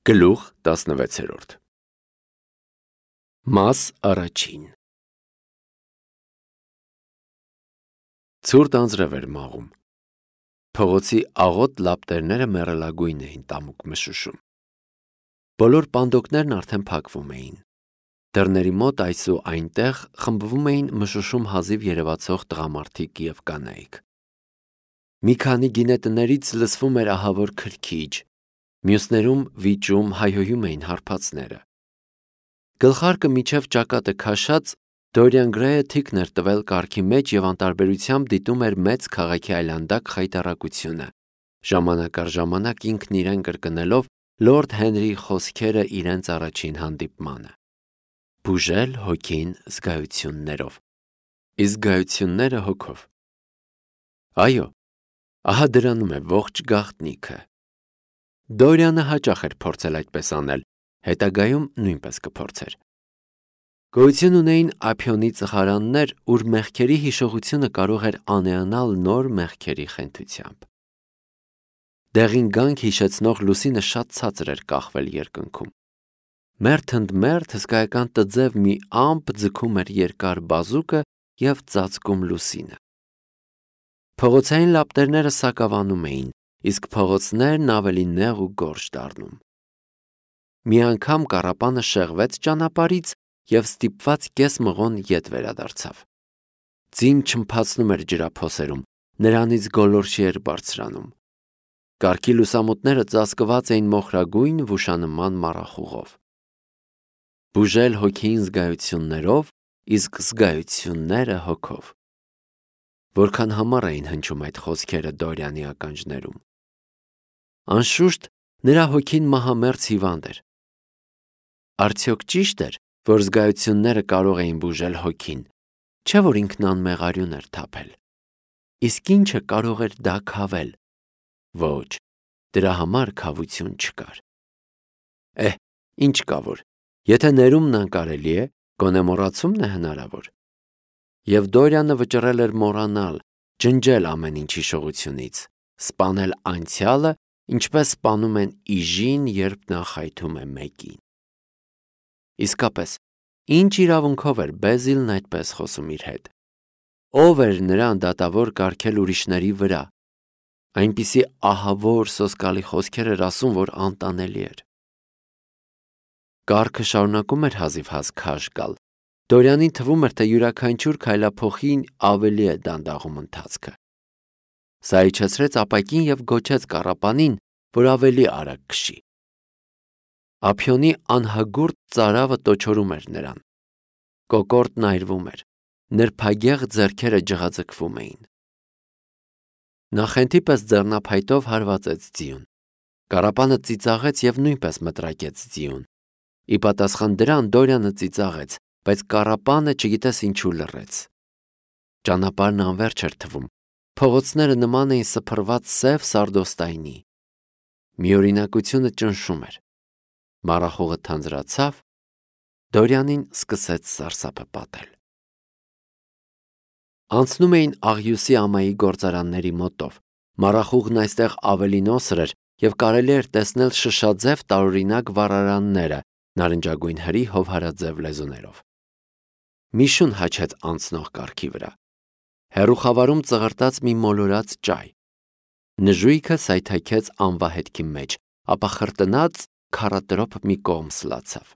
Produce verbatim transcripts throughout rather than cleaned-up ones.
Գլուխ տասնվեցերորդ Մաս առաջին Ցուրտ անձրև էր մաղում։ Փողոցի աղոտ լապտերները մեռելագույն էին տամուկ մշուշում։ Բոլոր պանդոկներն արդեն փակվում էին։ Դռների մոտ այս ու այնտեղ խմբվում էին մշուշում հազիվ երևացող տղամարդիկ և կանայք։ Մի քանի գինետներից լսվում էր ահավոր քրքիջ, մյուսներում վիճում հայհոյում էին հարբածները։ Գլխարկը մինչև ճակատը քաշած Դորիան Գրեյը թիկն էր տվել կառքի մեջ և անտարբերությամբ դիտում էր մեծ քաղաքի այլանդակ խայտառակությունը, ժամանակ առ ժամանակ ինքն իրեն կրկնելով Լորդ Հենրիի խոսքերը իրենց առաջին հանդիպմանը. «Բուժել հոգին զգայություններով, իսկ զգայությունները հոգով»։ Այո, ահա դրանում է ողջ գաղտնիքը։ Դորիանը հաճախ էր փորձել այդպես անել, հետագայում նույնպես կփորձեր։ Գոյություն ունեին ափիոնի ծխարաններ, ուր մեղքերի հիշողությունը կարող էր անիանալ նոր մեղքերի խենթությամբ։ Դեղին գանք հիշեցնող լուսինը շատ ցածր էր կախվել երկնքում։ Մերթ ընդ մերթ հսկայական տձև մի ամպ ձգում էր երկար բազուկը և ծածկում լուսինը։ Փողոցային լապտերները սակավանում էին, իսկ փողոցներն ավելի նեղ ու գորշ դառնում։ Մի անգամ կառապանը շեղվեց ճանապարհից և ստիպված կես մղոն ետ վերադարձավ։ Ձին չլմփացնում էր ջրափոսերում, նրանից գոլորշի էր բարձրանում։ Կառքի լուսամուտները ծածկված էին մոխրագույն վուշանման մառախուղով։ Բուժել հոգին զգայություններով, իսկ զգայությունները հոգով։ Որքան համառ էին հնչում այդ խոսքերը Դորիանի ականջներում։ Անշուշտ, նրա հոգին մահամերձ հիվանդ էր։ Արդյոք ճիշտ էր, որ զգայությունները կարող էին բուժել հոգին, չէ՞ որ ինքն անմեղ արյուն էր թափել։ Իսկ ի՞նչը կարող էր դա քավել։ Ոչ, դրա համար քավություն չկար։ Էհ, ինչ կա որ, եթե ներումն անկարելի է, գոնե մոռացումն է հնարավոր։ Եվ Դորիանը վճռել էր մոռանալ, ջնջել ամեն ինչ հիշողությունից, սպանել անցյալը, ինչպես սպանում են իժին, երբ նա խայթում է մեկին։ Իսկապես, ինչ իրավունքով էր Բեզիլն այդպես խոսում իր հետ։ Ո՞վ էր նրան դատավոր կարգել ուրիշների վրա։ Այնպիսի ահավոր սոսկալի խոսքեր էր ասում, որ անտանելի էր։ Կառքը շարունակում էր հազիվհազ քաշ գալ։ Դորիանին թվում էր, թե յուրաքանչյուր քայլափոխին ավելի է դանդաղում ընթացքը։ Սա իջեցրեց ապակին և գոչեց կառապանին, որ ավելի արագ քշի։ Ափիոնի անհագուրդ ծարավը տոչորում էր նրան։ Կոկորդն այրվում էր, նրբագեղ ձեռքերը ջղաձգվում էին։ Նա խենթի պես ձեռնափայտով հարվածեց ձիուն։ Կառապանը ծիծաղեց և նույնպես մտրակեց ձիուն։ Ի պատասխան դրան Դորիանը ծիծաղեց, բայց կառապանը չգիտես ինչու լռեց։ Ճանապարհն անվերջ էր թվում, փողոցները նման էին սփռված սև սարդոստայնի։ Միօրինակությունը ճնշում էր։ Մառախուղը թանձրացավ, Դորիանին սկսեց սարսափը պատել։ Անցնում էին աղյուսի ամայի գործարանների մոտով։ Մառախուղն այստեղ ավելի նոսր էր և կարելի էր տեսնել շշաձև տարօրինակ վառարանները նարնջագույն հրի հովհարաձև լեզուներով։ Մի շուն հաչեց անցնող կառքի վրա։ Հեռու խավարում ծղրտաց մի մոլորած ճայ։ Նժույգը սայթաքեց անվահետքի մեջ, ապա խրտնած քառատրոփ մի կողմ սլացավ։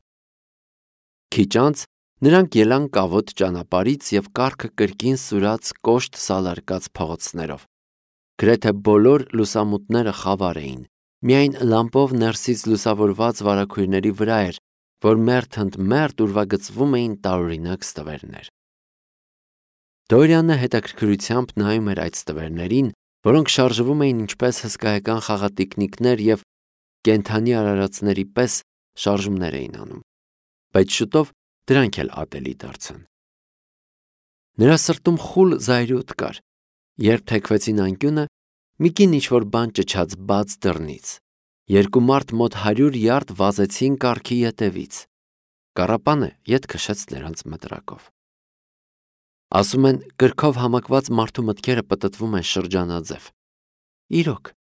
Քիչ անց նրանք ելան կավոտ ճանապարհից և կառքը կրկին սուրաց կոշտ սալարկած փողոցներով։ Գրեթե բոլոր լուսամուտները խավար էին, միայն լամպով ներսից լուսավորված վարագույրների վրա էր, որ մերթ ընդ մերթ ուրվագծվում էին տարօրինակ ստվերներ։ Դորիանը հետաքրքրությամբ նայում էր այդ ստվերներին, որոնք շարժվում էին ինչպես հսկայական խաղատիկնիկներ և կենդանի արարածների պես շարժումներ էին անում, բայց շուտով դրանք էլ ատելի դարձան։ Նրա սրտում խուլ զայրույթ կար, երբ թեքվեցին անկյունը, մի կին ինչ-որ բան ճչաց բաց դռնից։ Երկու մարդ մոտ հարյուր յարդ վազեցին կառքի ետևից։ Կառապանը ետ քշեց նրանց մտրակով։ Ասում են, կրքով համակված մարդու մտքերը պտտվում են շրջանաձև։ Իրոք,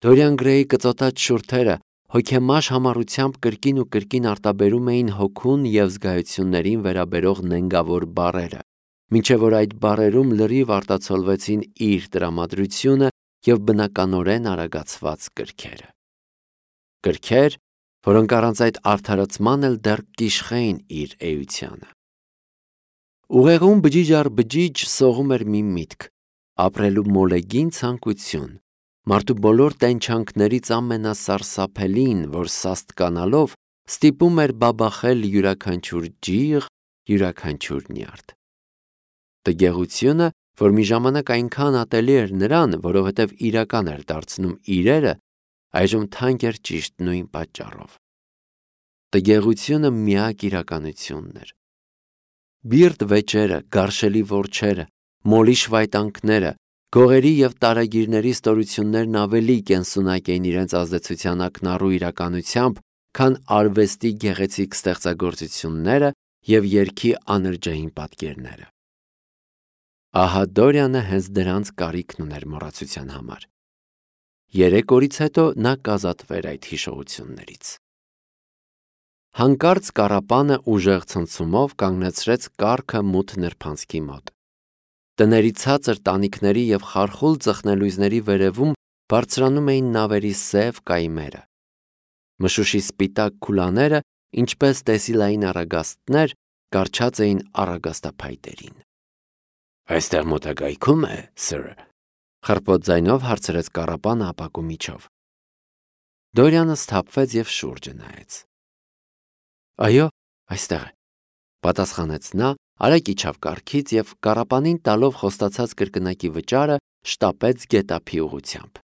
Դորիան Գրեյի կծոտած շուրթերը հոգեմաշ համառությամբ կրկին ու կրկին արտաբերում էին հոգուն և զգայություններին վերաբերող նենգավոր բառերը, մինչև որ այդ բառերում լրիվ արտացոլվեցին իր տրամադրությունը և բնականորեն արագացված կրքերը։ Կրքեր, որոնք առանց այդ արդարացման էլ դեռ կիշխեին իր էությանը։ Ուղեղում բջիջ առ բջիջ սողում էր մի միտք՝ ապրելու մոլեգին ցանկություն, մարդու բոլոր տենչանքներից ամենասարսափելին, որ սաստկանալով ստիպում էր բաբախել յուրաքանչյուր ջիղ, յուրաքանչյուր նյարդ։ Տգեղությունը, որ մի ժամանակ այնքան ատելի էր նրան, որովհետև իրական էր դարձնում իրերը, այժմ թանկ էր ճիշտ նույն պատճառով։ Տգեղությունը միակ իրականությունն էր։ Բիրտ վեճերը, գարշելի որջերը, մոլի շվայտանքները, գողերի և տարագիրների ստորություններն ավելի կենսունակ էին իրենց ազդեցության ակնառու իրականությամբ, քան արվեստի գեղեցիկ ստեղծագործությունները և երգի անրջային պատկերները։ Ահա Դորիանը հենց դրանց կարիքն ուներ մոռացության համար։ Երեք օրից հետո նա կազատվեր այդ հիշողություններից։ Հանկարծ կառապանը ուժեղ ցնցումով կանգնեցրեց կառքը մութ նրբանցքի մոտ։ Տների ցածր տանիքների և խարխուլ ծխնելույզների վերևում բարձրանում էին նավերի սև կայմերը։ Մշուշի սպիտակ քուլաները, ինչպես տեսիլային առագաստներ, կառչած էին առագաստափայտերին։ «Այստեղ մոտակայքում է, սըր», խռպոտ ձայնով հարցրեց կառապանը ապակու միջով։ Դորիանը սթափվեց և շուրջը նայեց։ «Այո, այստեղ է», պատասխանեց նա, արագ իջավ կառքից և կառապանին տալով խոստացած կրկնակի վճարը շտապեց գետափի ուղղությամբ։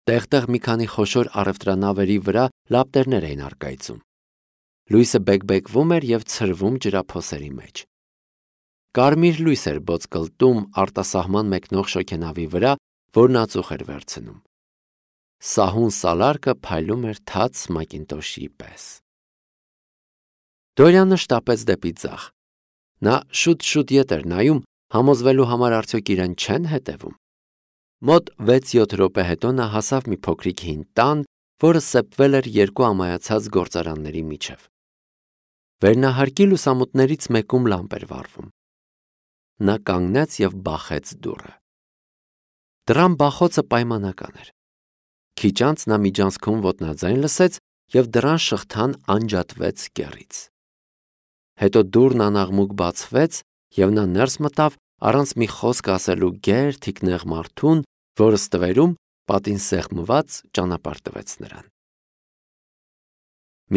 Տեղ-տեղ մի քանի խոշոր առևտրանավերի վրա լապտերներ էին առկայծում։ Լույսը բեկբեկվում էր և ցրվում ջրափոսերի մեջ։ Կարմիր լույս էր ոսկլտում արտասահման մեկնող շոգենավի վրա, որն ածուխ էր վերցնում։ Սահուն սալարկը փայլում էր թաց մակինտոշի պես։ Դորիանը շտապեց դեպի ձախ։ Նա շուտ-շուտ ետ էր նայում, համոզվելու համար արդյոք իրեն չեն հետևում։ Մոտ վեց-յոթ րոպե հետո նա հասավ մի փոքրիկ հին տան, որը սեպվել էր երկու ամայացած գործարանների միջև։ Վերնահարկի լուսամուտներից մեկում լամպ էր վառվում։ Նա կանգնեց և բախեց դուռը։ Դռան բախոցը պայմանական էր։ Քիչ անց նա միջանցքում ոտնաձայն լսեց և դռան շղթան անջատվեց կեռից։ Հետո դուռն անաղմուկ բացվեց, և նա ներս մտավ առանց մի խոսք ասելու գեր թիկնեղ մարդուն, որը ստվերում, պատին սեղմված, ճանապարհ տվեց նրան։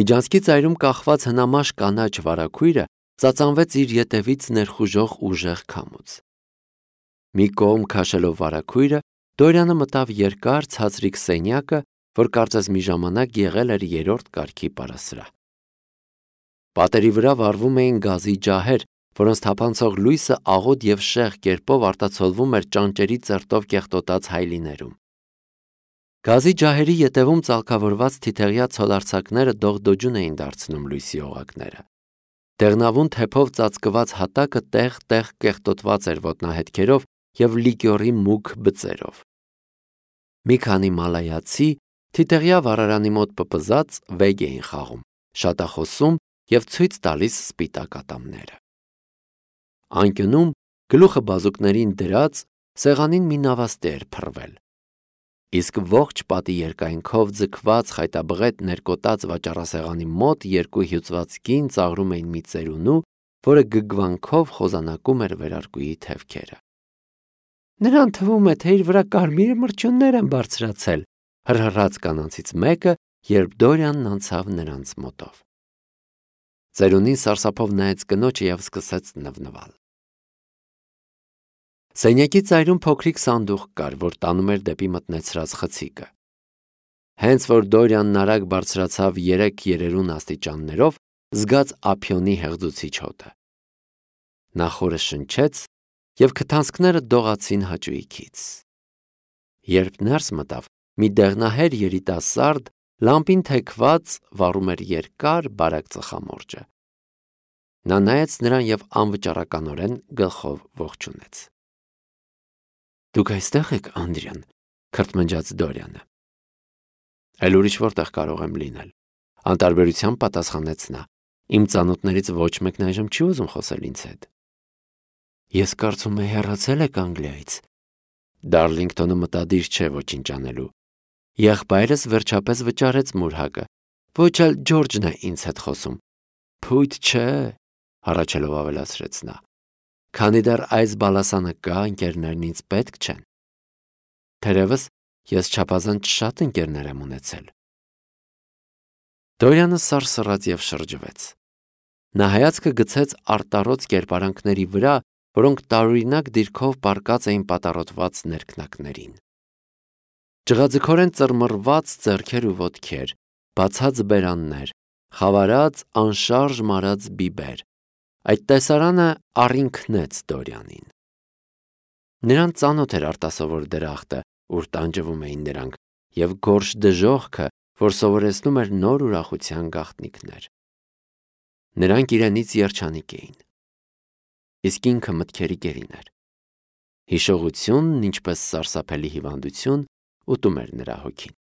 Միջանցքի ծայրում կախված հնամաշ կանաչ վարագույրը ծածանվեց իր ետևից ներխուժող ուժեղ քամուց։ Մի կողմ քաշելով վարագույրը, Դորիանը մտավ երկար ցածրիկ սենյակը, որ կարծես մի ժամանակ եղել էր երրորդ կարգի պարասրահ։ Պատերի վրա վառվում էին գազի ջահեր, որոնց թափանցող լույսը աղոտ և շեղ կերպով արտացոլվում էր ճանճերի ծերտով կեղտոտած հայելիներում։ Գազի ջահերի ետևում ծալքավորված թիթեղյա ցոլարձակները դողդոջուն էին դարձնում լույսի օղակները։ Դեղնավուն թեփով ծածկված հատակը տեղ-տեղ կեղտոտված էր ոտնահետքերով և լիկյորի մուգ բծերով։ Մի քանի մալայացի թիթեղյա վառարանի մոտ պպզած վեգ էին խաղում, շատախոսում և ցույց տալիս սպիտակ ատամները։ Անկյունում, գլուխը բազուկներին դրած, սեղանին մի նավաստի էր փռվել, իսկ ողջ պատի երկայնքով ձգված խայտաբղետ ներկոտած վաճառասեղանի մոտ երկու հյուծված կին ծաղրում էին մի ծերունու, որը գգվանքով խոզանակում էր վերարկուի թևքերը։ «Նրան թվում է, թե իր վրա կարմիր մրջյուններ են բարձրացել», հռհռաց կանանցից մեկը, երբ Դորիանն անցավ նրանց մոտով։ Ծերունին սարսափով նայեց կնոջը և սկսեց նվնվալ։ Սենյակի ծայրում փոքրիկ սանդուղք կար, որ տանում էր դեպի մտնեցրած խցիկը։ Հենց որ Դորիանն արագ բարձրացավ երեք երերուն աստիճաններով, զգաց ափիոնի հեղձուցիչ հոտը։ Նա խորը շնչեց, և քթանցքները դողացին հաճույքից։ Երբ ներս մտավ, մի դեղնահեր երիտասարդ, լամպին թեքված, վառում էր երկար, բարակ ծխամորճը։ Նա նայեց նրան և անվճռականորեն գլխով ողջունեց։ «Դուք այստեղ եք, Անդրիան», քրթմնջաց Դորիանը։ Էլ ուրիշ որտեղ կարող եմ լինել։ Անտարբերությամբ պատասխանեց նա։ Իմ ծանոթներից ոչ մեկն այժմ չի ուզում խոսել ինձ հետ։ Ես կարծում եմ հեռացել եք Անգլիայից։ Դարլինգտոնը մտադիր չէ ոչինչ անելու։ Եղբայրս վերջապես վճարեց մուրհակը։ Ոչ էլ Ջորջն է ինձ հետ խոսում։ Փույթ չէ, հառաչելով ավելացրեց նա։ Քանի դեռ այս բալասանը կա, ընկերներն ինձ պետք չեն։ Թերևս ես չափազանց շատ ընկերներ եմ ունեցել։ Դորյանը սարսռաց և շրջվեց։ Նա հայացքը գցեց արտառոց կերպարանքների վրա, որոնք տարօրինակ դիրքով պառկած էին պատառոտված ներքնակներին։ Ջղաձգորեն ծռմռված ձեռքեր ու ոտքեր, բացած բերաններ, խավարած անշարժ մարած բիբեր։ Այդ տեսարանը առինքնեց Դորյանին։ Նրան ծանոթ էր արտասովոր դրախտը, ուր տանջվում էին նրանք, և գորշ դժոխքը, որ սովորեցնում էր նոր ուրախության գաղտնիքներ։ Նրանք իրենից երջանիկ էին։ Իսկ ինքը մտքերի գերին էր։ Հիշողությունն, ինչպես սարսափելի հիվանդություն, ուտում էր նրա հոգին։